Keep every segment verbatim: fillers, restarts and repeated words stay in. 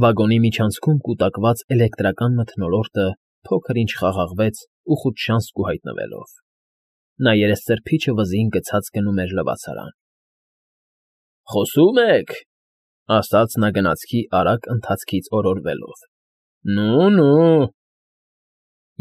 Վագոնի միջանցքում կուտակված էլեկտրական մթնոլորտը փոքր֊ինչ խաղաղվեց ուխուճշանց կուհայտնվելով։ Նա երեսծրփիչը վզին գցած գնում էր լվացարան։ ֊ Խոսո՞ւմ եք,֊ ասաց նա գնացքի արագ ընթացքից օրորվելով։ ֊ Նո՛ւ֊նո՛ւ…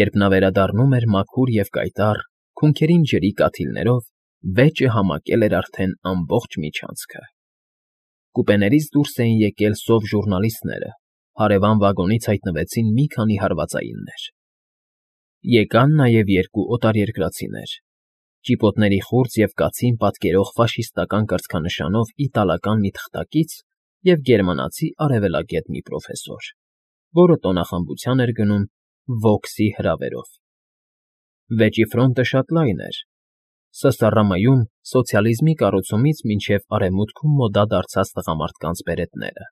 Երբ նա վերադառնում էր մաքուր և կայտառ, քունքերին ջրի կաթիլներով, վեճը համակել էր արդեն ամբողջ միջանցքը։ Կուպեներից դուրս էին եկել սով ժուռնալիստները, հարևան վագոնից հայտնվեցին մի քանի հարվածայիններ։ Եկան նաև երկու օտարերկրացիներ՝ ճիպոտների խուրձ և կացին պատկերող ֆաշիստական կրծքանշանով իտալական մի թղթակից և գերմանացի արևելագետ մի պրոֆեսոր, որը տոնախմբության էր գնում Վոքսի հրավերով։ Վեճի ֆրոնտը շատ լայն էր, սսռըմ֊ում սոցիալիզմի կառուցումից մինչև Արևմուտքում մոդա դարձած տղամարդկանց բերետները,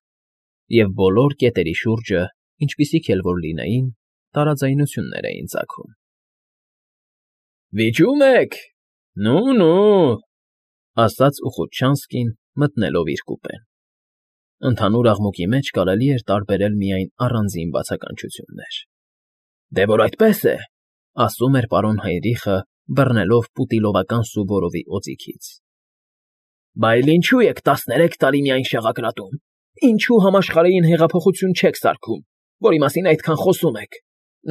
և բոլոր կետերի շուրջը, ինչպիսիք էլ որ լինեին, տարաձայնություններ էին ծագում։ ֊ Վիճո՞ւմ եք, նո՛ւ֊նո՛ւ… ասաց Ուխուտշանսկին, մտնելով իր կուպեն։ Ընդհանուր աղմուկի մեջ կարելի էր տարբերել միայն առանձին բացականչություններ։ ֊ Դե որ այդպես է,֊ ասում էր պարոն Հեյնրիխը, բռնելով պուտիլովական Սուվորովի օձիքից,֊ բա էլ ինչո՞ւ եք տասներեք տարի միայն շաղակրատում, ինչո՞ւ համաշխարհային հեղափոխություն չեք սարքում, որի մասին այդքան խոսում եք,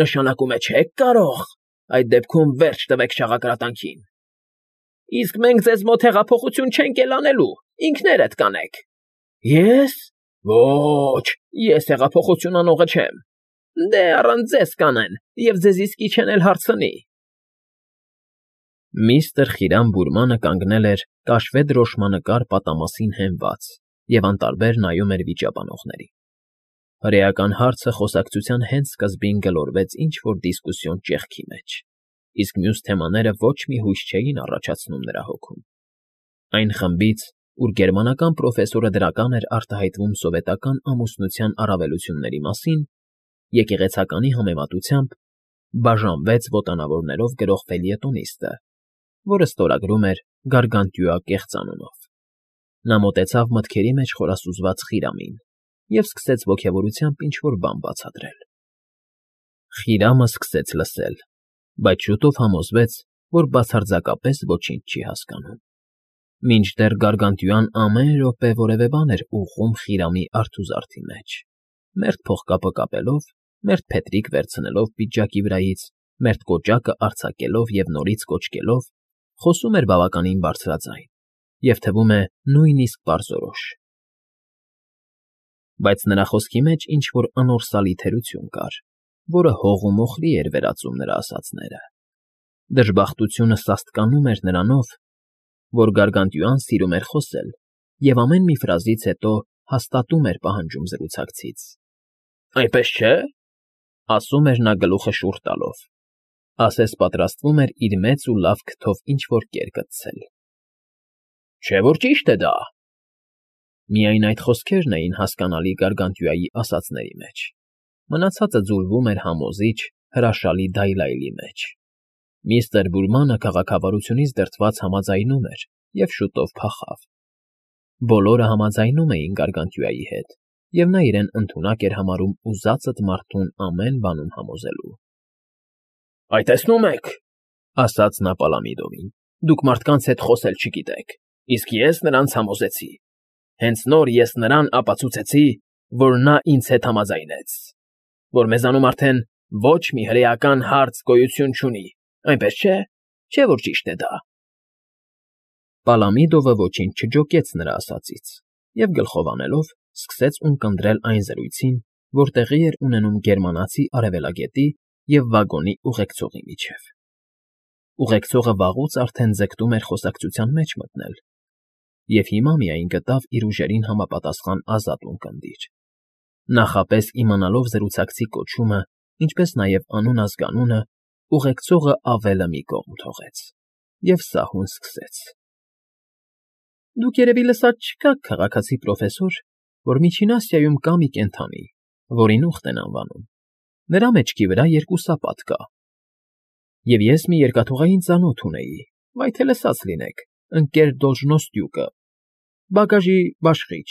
նշանակում է չե՞ք կարող, այդ դեպքում վերջ տվեք շաղակրատանքին։ Իսկ մենք ձեզ մոտ հեղափոխություն չենք էլ անելու, ինքներդ կանեք։ Ե՞ս, ոչ, ես հեղափոխություն անողը չեմ, դե առանց ձեզ կանեն, և ձեզ իսկի չեն էլ հարցնի։ Միստր Խիրամ Բուրմանը կանգնել էր կաշվե դրոշմանկար պատամասին հենված և անտարբեր նայում էր վիճաբանողներին։ Հրեական հարցը խոսակցության հենց սկզբին գլորվեց ինչ֊որ դիսկուսիոն ճեղքի մեջ, իսկ մյուս թեմաները ոչ մի հույս չէին առաջացնում նրա հոգում։ Այն խմբից, ուր գերմանական պրոֆեսորը դրական էր արտահայտվում սովետական ամուսնության առավելությունների մասին, եկեղեցականի համեմատությամբ բաժանվեց ոտանավորներով գրող ֆելյետոնիստը, որը ստորագրում էր Գարգանտյուա կեղծանունով։ Նա մոտեցավ մտքերի մեջ խորասուզված Խիրամին և սկսեց ոգևորությամբ ինչ֊որ բան բացատրել։ Խիրամը սկսեց լսել, բայց շուտով համոզվեց, որ բացարձակապես ոչինչ չի հասկանում։ Մինչդեռ Գարգանտյուան ամեն րոպե որևէ բան էր ուղղում Խիրամի արթուզարդի մեջ, մերթ փողկապը կապելով, մերթ փետրիկ վերցնելով պիջակի վրայից, մերթ կոճակը արձակելով և նորից կոճկելով, խոսում էր բավականին բարձրաձայն և, թվում է, նույնիսկ պարզորոշ։ Բայց նրա խոսքի մեջ ինչ֊որ անորսալի թերություն կար, որը հող ու մոխրի էր վերածում նրա ասածները։ Դժբախտությունը սաստկանում էր նրանով, որ Գարգանտյուան սիրում էր խոսել և ամեն մի ֆրազից հետո հաստատում էր պահանջում զրուցակցից։ ֊ Այնպես չէ՞, ասում էր նա գլուխը շուռ տալով, ասես պատրաստվում էր իր մեծ ու լավ քթով ինչ֊որ կեր կցցել։ ֊ Չէ՞ որ ճիշտ է դա։ Միայն այդ խոսքերն էին հասկանալի Գարգանտյուայի ասածների մեջ, մնացածը ձուլվում էր համոզիչ, հրաշալի դայլայլի մեջ։ Միստր Բուրմանը քաղաքավարությունից դրդված համաձայնում էր և շուտով փախավ։ Բոլորը համաձայնում էին Գարգանտյուայի հետ, և նա իրեն ընդունակ էր համարում ուզածդ մարդուն ամեն բանում համոզելու։ ֊ Այ տեսնում եք,֊ ասաց նա Պալամիդովին,֊ դուք մարդկանց հետ խոսել չգիտեք, իսկ ես նրանց համոզեցի։ Հենց նոր ես նրան ապացուցեցի, որ նա ինձ հետ համաձայնեց, որ մեզանում արդեն ոչ մի հրեական հարց գոյություն չունի, այնպես չէ՞, չէ՞ որ ճիշտ է դա։ Պալամիդովը ոչինչ չջոկեց նրա ասածից և, գլխով անելով, սկսեց ունկնդրել այն զրույցին, որ տեղի էր ունենում գերմանացի արևելագետի և վագոնի ուղեկցողի միջև։ Ուղեկցողը վաղուց արդեն ձգտում էր խոսակցության մեջ մտնել և հիմա միայն գտավ իր ուժերին համապատասխան ազատ ունկնդիր։ Նախապես իմանալով զրուցակցի կոչումը, ինչպես նաև անուն֊ազգանունը, ուղեկցողը ավելը մի կողմ թողեց և սահուն սկսեց. Դուք երևի լսած չքաք, քաղաքացի պրոֆեսոր, որ Միջին Ասիայում կա մի կենդանի, որին ուղտ են անվանում, նրա մեջքի վրա երկու սապատ կա, և ես մի երկաթուղային ծանոթ ունեի, վայ թե լսած լինեք, ընկեր Դոլժնոստյուկը, բագաժի բաշխիչ,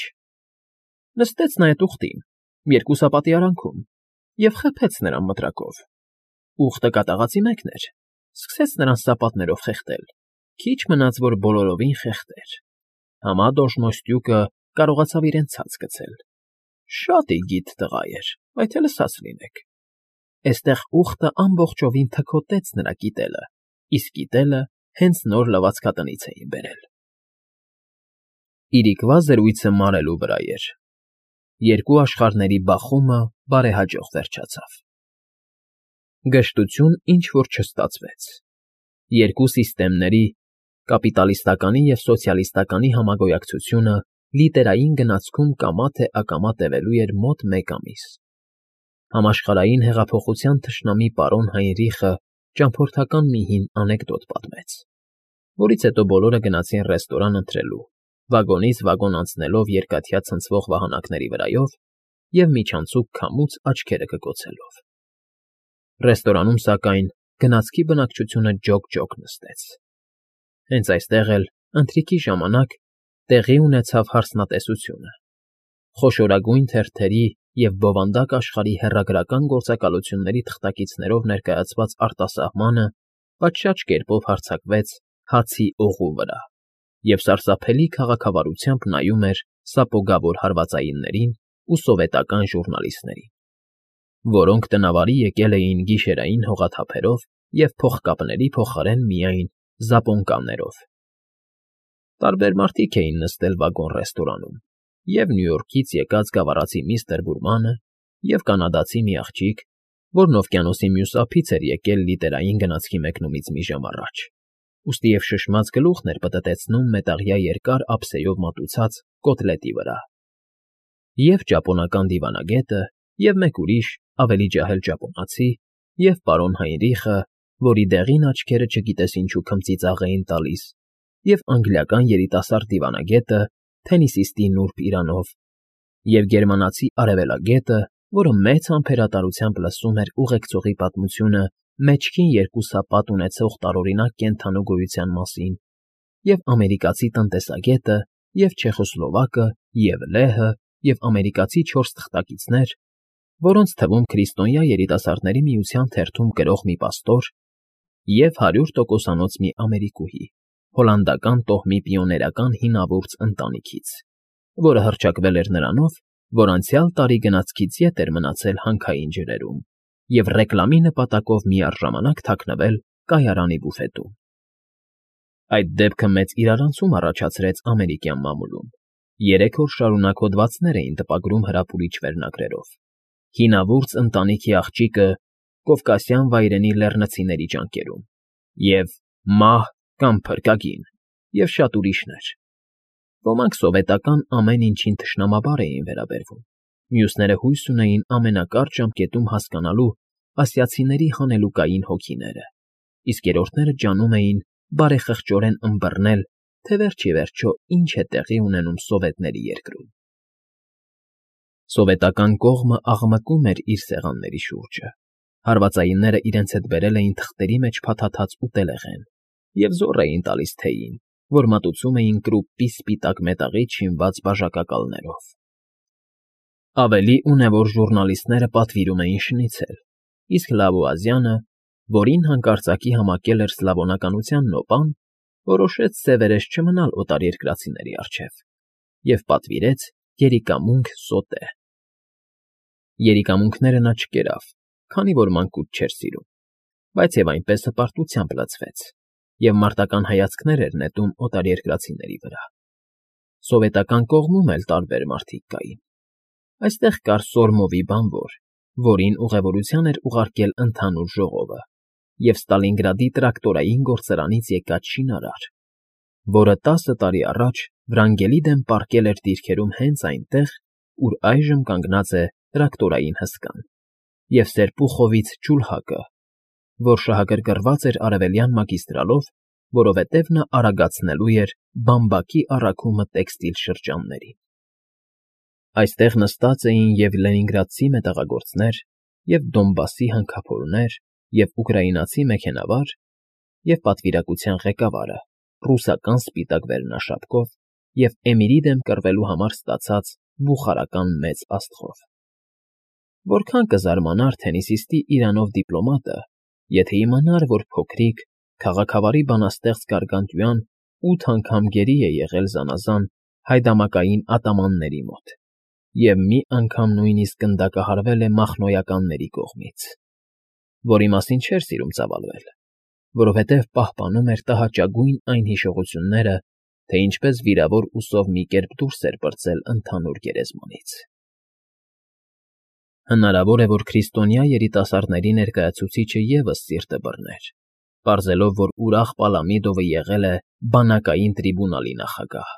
նստեց նա էդ ուղտին երկու սապատի արանքում, և խփեց նրան մտրակով։ Ուղտը կատաղածի մեկն էր, սկսեց նրան սապատներով խեղդել, քիչ մնաց, որ բոլորովին խեղդեր։ Համա դոժնոյստյուկը կարողացավ իրեն ցած գցել։ Շատ ի գիտ տղա էր, այդ էլ ըսած լինեք։ Էստեղ ուղտը ամբողջովին թքոտեց նրա կիտելը, իսկ կիտելը հենց նոր լվացքատնից էին բերել։ Իրիկվա զրույցը մարելու վրա էր։ Երկու աշխարհների բախումը բարեհաջող վերջացավ։ Գժտություն ինչ֊որ չստացվեց։ Երկու սիստեմների՝ կապիտալիստականի և սոցիալիստականի համագոյակցությունը լիտերային գնացքում կամա թե ակամա տևելու էր մոտ մեկ ամիս։ Համաշխարհային հեղափոխության թշնամի պարոն Հայնրիխը ճամփորդական մի հին անեկդոտ պատմեց, որից հետո բոլորը գնացին ռեստորան ընթրելու, վագոնից վագոն անցնելով երկաթյա ցնցվող վահանակների վրայով և միջանցիկ քամուց աչքերը կկոցելով։ Ռեստորանում, սակայն, գնացքի բնակչությունը ջոկ֊ջոկ նստեց։ Հենց այստեղ էլ, ընթրիքի ժամանակ, տեղի ունեցավ հարսնատեսությունը։ Խոշորագույն թերթերի և բովանդակ աշխարհի հեռագրական գործակալությունների թղթակիցներով ներկայացված արտասահմանը պատշաճ կերպով հարձակվեց հացի օղու վրա և սարսափելի քաղաքավարությամբ նայում էր սապոգավոր հարվածայիններին ու սովետական ժուռնալիստներին, որոնք տնավարի եկել էին գիշերային հողաթափերով և փողկապների փոխարեն միայն զապոնկաններով։ Տարբեր մարդիկ էին նստել վագոն֊ռեստորանում, և Նյու Յորքից եկած գավառացի միստր Բուրմանը, և կանադացի մի աղջիկ, որն օվկիանոսի մյուս ափից էր եկել լիտերային գնացքի մեկնումից մի ժամ առաջ, ուստի և շշմած գլուխն էր պտտեցնում մետաղյա երկար ափսեով մատուցած կոտլետի վրա, և ճապոնական դիվանագետը, և մեկ ուրիշ, ավելի ջահել ճապոնացի, և պարոն Հայնրիխը, որի դեղին աչքերը չգիտես ինչու քմծիծաղ էին տալիս, և անգլիական երիտասարդ դիվանագետը թենիսիստի նուրբ իրանով, և գերմանացի արևելագետը, որը մեծ համբերատարությամբ լսում էր ուղեկցողի պատմությունը մեջքին երկու սապատ ունեցող տարօրինակ կենդանու գոյության մասին, և ամերիկացի տնտեսագետը, և չեխոսլովակը, և լեհը, և ամերիկացի չորս թղթակիցներ, որոնց թվում քրիստոնյա երիտասարդների միության թերթում գրող մի պաստոր և հարյուր տոկոսանոց մի ամերիկուհի, հոլանդական տոհմի պիոներական հինավուրց ընտանիքից, որը հռչակվել էր նրանով, որ անցյալ տարի գնացքից ետ էր մնացել հանքային ջրերում և ռեկլամի նպատակով միառժամանակ թաքնվել կայարանի բուֆետում։ Այդ դեպքը մեծ իրարանցում առաջացրեց ամերիկյան մամուլում։ Երեք օր շարունակ հոդվածներ էին տպագրում հրապուրիչ վերնագրերով. «Հինավուրց ընտանիքի աղջիկը կովկասյան վայրենի լեռնցիների ճանկերում» և «Մահ կամ փրկագին» և շատ ուրիշներ։ Ոմանք սովետական ամեն ինչին թշնամաբար էին վերաբերվում, մյուսները հույս ունեին ամենակարճ ժամկետում հասկանալու ասիացիների հանելուկային հոգիները, իսկ երրորդները ջանում էին բարեխղճորեն ըմբռնել, թե վերջ ի վերջո ինչ է տեղի ունենում սովետների երկրում։ Սովետական կողմը աղմկում էր իր սեղանների շուրջը, հարվածայինները իրենց հետ բերել էին թղթերի մեջ փաթաթած ուտելեղեն և զոռ էին տալիս թեյին, որ մատուցում էին կրուպպի սպիտակ մետաղից շինված բաժակակալներով։ Ավելի ունևոր ժուռնալիստները պատվիրում էին շնիցել, իսկ Լավուազյանը, որին հանկարծակի համակել էր սլավոնականության նոպան, որոշեց սևերես չմնալ օտարերկրացիների առջև և պատվիրեց երիկամունք սոտե։ Երիկամունքները նա չկերավ, քանի որ մանկուց չէր սիրում, բայց և այնպես հպարտությամբ լցվեց և մարտական հայացքներ էր նետում օտարերկրացիների վրա։ Սովետական կողմում էլ տարբեր մարդիկ կային։ Այստեղ կար Սորմովի բանվոր, որին ուղևորության էր ուղարկել ընդհանուր ժողովը, և Ստալինգրադի տրակտորային գործարանից եկած շինարար, որը տասը տարի առաջ վրանգելի դեմ պառկել էր դիրքերում հենց այնտեղ, ուր այժմ կանգնած է տրակտորային հսկան, և Սերպուխովից ջուլհակը, որ շահագրգռված էր արևելյան մագիստրալով, որովհետև նա արագացնելու էր բամբակի առաքումը տեքստիլ շրջաններին։ Այստեղ նստած էին և՛ լենինգրադցի մետաղագործներ, և՛ Դոնբասի հանքափորներ, և՛ ուկրաինացի մեքենավար, և պատվիրակության ղեկավարը՝ ռուսական սպիտակ վերնաշապկով և Էմիրի դեմ կռվելու համար ստացած բուխարական մեծ աստղով։ Որքան կզարմանար թենիսիստի իրանով դիպլոմատը, եթե իմանար, որ փոքրիկ, քաղաքավարի բանաստեղծ Գարգանդյուան ութ անգամ գերի է եղել զանազան հայդամակային ատամանների մոտ և մի անգամ նույնիսկ գնդակահարվել է մախնոյականների կողմից, որի մասին չէր սիրում ծավալվել, որովհետև պահպանում էր տհաճագույն այն հիշողությունները, թե ինչպես վիրավոր ուսով մի կերպ դուրս էր պրծել ընդհանուր գերեզմանից։ Հնարավոր է, որ քրիստոնյա երիտասարդների ներկայացուցիչը ևս սիրտը բռներ, պարզելով, որ ուրախ Պալամիդովը եղել է բանակային տրիբունալի նախագահ,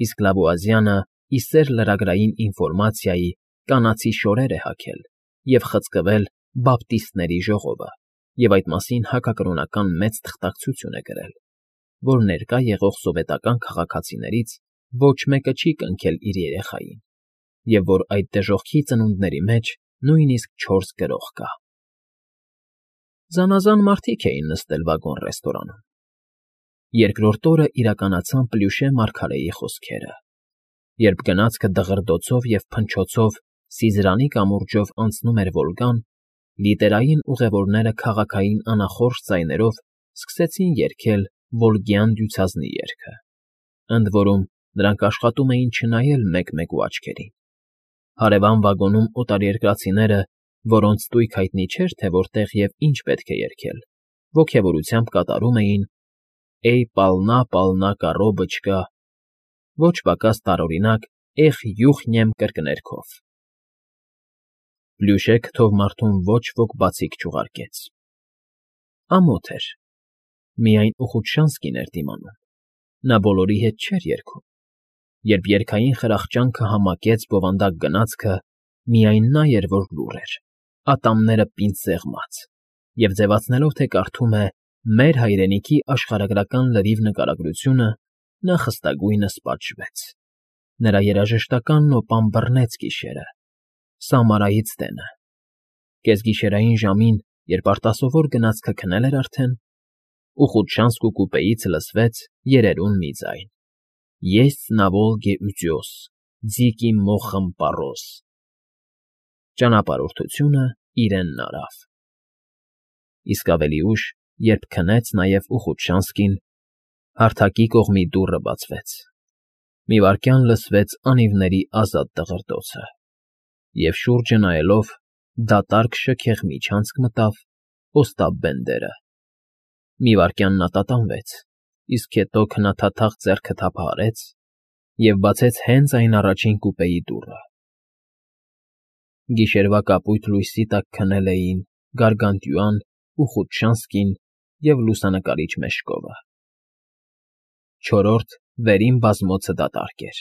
իսկ Լավուազյանը ի սեր լրագրային ինֆորմացիայի կանացի շորեր է հագել և խցկվել բապտիստների ժողովը և այդ մասին հակակրոնական մեծ թղթակցություն է գրել, որ ներկա եղող սովետական քաղաքացիներից ոչ մեկը չի կնքել իր երեխային, և որ այդ դժոխքի ծնունդների մեջ նույնիսկ չորս գրող կա։ Զանազան մարդիկ էին նստել վագոն֊ռեստորանում։ Երկրորդ օրը իրականացան Պլյուշե մարգարեի խոսքերը, երբ գնացքը դղրդոցով և փնչոցով Սիզրանի կամուրջով անցնում էր Վոլգան, լիտերային ուղևորները քաղաքային անախորժ ձայներով սկսեցին երգել Վոլգյան դյուցազնի երգը, ընդ որում նրանք աշխատում էին չնայել մեկ֊մեկու աչքերին։ Հարևան վագոնում օտարերկրացիները, որոնց ստույգ հայտնի չէր, թե որտեղ և ինչ պետք է երգել, ոգևորությամբ կատարում էին «Էյ պալնա, պալնա, կառոբչկա», ոչ պակաս տարօրինակ «Էխ, յուխնյեմ» կրկներգով։ Պլյուշե քթով մարդուն ոչ ոք բացիկ չուղարկեց։ Ամոթ էր, միայն Ուխուտշանսկին էր դիմանում, նա բոլորի հետ չէր երգում, երբ երգային խրախճանքը համակեց բովանդակ գնացքը, միայն նա էր, որ լուռ էր, ատամները պինդ սեղմած, և ձևացնելով, թե կարդում է «Մեր հայրենիքի աշխարհագրական լրիվ» նկարագրությունը, նա խստագույնս պատժվեց։ Նրա երաժշտական նոպան բռնեց գիշերը, Սամարայից դենը։ Կեսգիշերային ժամին, երբ արտասովոր գնացքը քնել էր արդեն, Ուխուտշանսկու կուպեից լսվեց երերուն մի ձայն. «Есть на Волге утес, дикий мохом порос»։ Ճանապարհորդությունը իրենն արավ։ Իսկ ավելի ուշ, երբ քնեց նաև Ուխուտշանսկին, հարթակի կողմի դուռը բացվեց։ Մի վայրկյան լսվեց անիվների ազատ դղրդոցը, և շուրջը նայելով, դատարկ շքեղ միջանցք մտավ Օստապ Բենդերը։ Մի վայրկյան նա տատանվեց, իսկ հետո քնաթաթախ ձեռքը թափահարեց և բացեց հենց այն առաջին կուպեի դուռը։ Գիշերվա կապույտ լույսի տակ քնել էին Գարգանդյուան, Ուխուտշանսկին և լուսանկարիչ Մեժկովը։ Չորրորդ, վերին բազմոցը դատարկ էր։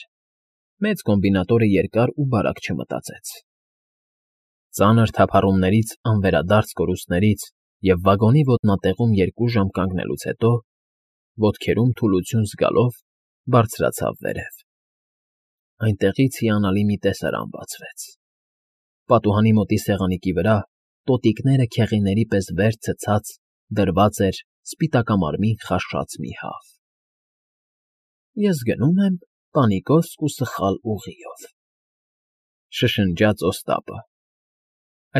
Մեծ կոմբինատորը երկար ու բարակ չմտածեց։ Ծանր թափառումներից անվերադարձ կորուստներից և վագոնի ոտնատեղում երկու ժամ կանգնելուց հետո, ոտքերում թուլություն զգալով, բարձրացավ վերև։ Այնտեղից հիանալի մի տեսարան բացվեց։ Պատուհանի մոտի սեղանիկի վրա, տոտիկները քեղիների պես վեր ցցած, դրված էր սպիտակամարմին խաշած մի հավ։ «Ես գնում եմ Պանիկովսկ ու սխալ ուղիով», շշնջաց Օստապը։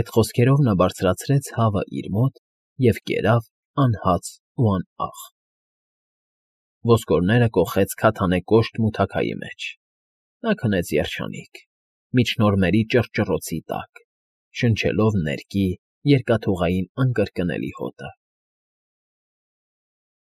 Այդ խոսքերով նա բարձրացրեց հավը իր մոտ և կերավ անհաց ու անաղ։ Ոսկորները կոխեց քաթանե կոշտ մութաքայի մեջ։ Նա քնեց երջանիկ, միջնորմերի ճռճռոցի տակ, շնչելով ներկի երկաթուղային անկրկնելի հոտը։